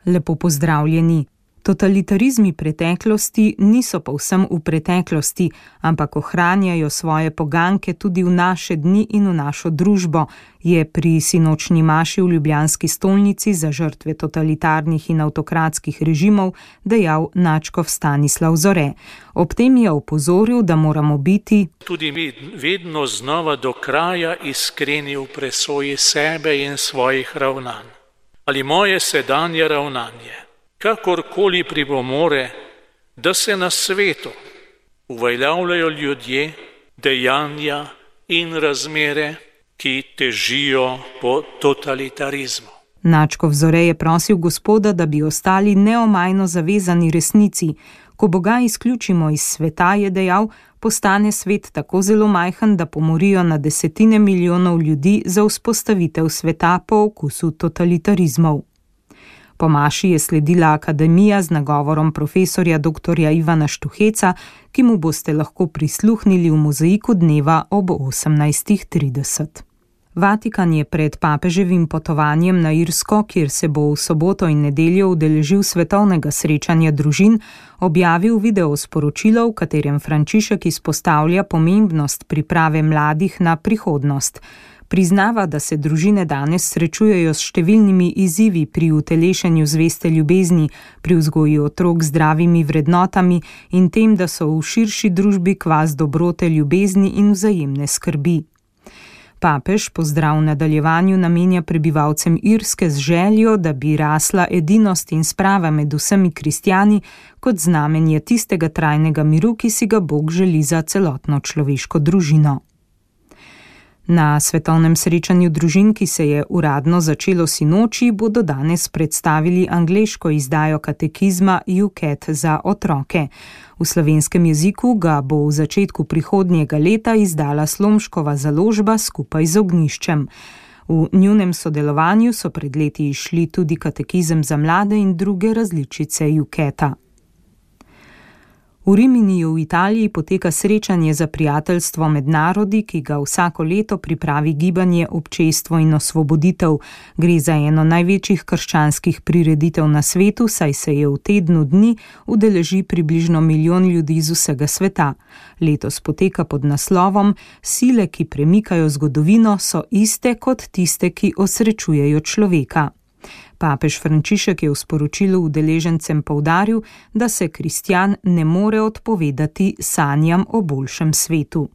Lepo pozdravljeni. Totalitarizmi preteklosti niso povsem v preteklosti, ampak ohranjajo svoje poganke tudi v naše dni in v našo družbo, je pri sinočnji maši v ljubljanski stolnici za žrtve totalitarnih in avtokratskih režimov dejal nadškof Stanislav Zore. Ob tem je opozoril, da moramo biti tudi mi vedno znova do kraja iskreni v presoji sebe in svojih ravnanj. Ali moje sedanje ravnanje kakorkoli pripomore, da se na svetu uveljavljajo ljudje, dejanja in razmere, ki težijo po totalitarizmu. Nadškof Zore je prosil Gospoda, da bi ostali neomajno zavezani resnici. Ko Boga izključimo iz sveta, je dejal, postane svet tako zelo majhen, da pomorijo na desetine milijonov ljudi za vzpostavitev sveta po okusu totalitarizmov. Po maši je sledila akademija z nagovorom profesorja dr. Ivana Štuheca, ki mu boste lahko prisluhnili v mozaiku dneva ob 18:30. Vatikan je pred papeževim potovanjem na Irsko, kjer se bo v soboto in nedeljo udeležil svetovnega srečanja družin, objavil videosporočilo, v katerem Frančišek izpostavlja pomembnost priprave mladih na prihodnost. Priznava, da se družine danes srečujejo s številnimi izzivi pri utelešenju zveste ljubezni, pri vzgoji otrok z zdravimi vrednotami in tem, da so v širši družbi kvas dobrote, ljubezni in vzajemne skrbi. Papež pozdrav v nadaljevanju namenja prebivalcem Irske z željo, da bi rasla edinost in sprava med vsemi kristjani kot znamenje tistega trajnega miru, ki si ga Bog želi za celotno človeško družino. Na svetovnem srečanju družin, ki se je uradno začelo sinoči, bodo danes predstavili angleško izdajo katekizma UCAT za otroke. V slovenskem jeziku ga bo v začetku prihodnjega leta izdala Slomškova založba skupaj z Ognjiščem. V njunem sodelovanju so pred leti izšli tudi katekizem za mlade in druge različice UCAT-a. V Riminiju v Italiji poteka srečanje za prijateljstvo med narodi, ki ga vsako leto pripravi gibanje Občestvo in osvoboditev. Gre za eno največjih krščanskih prireditev na svetu, saj se je v tednu dni udeleži približno 1 milijon ljudi z vsega sveta. Letos poteka pod naslovom Sile, ki premikajo zgodovino, so iste kot tiste, ki osrečujejo človeka. Papež Frančišek je v sporočilu udeležencem poudaril, da se kristjan ne more odpovedati sanjam o boljšem svetu.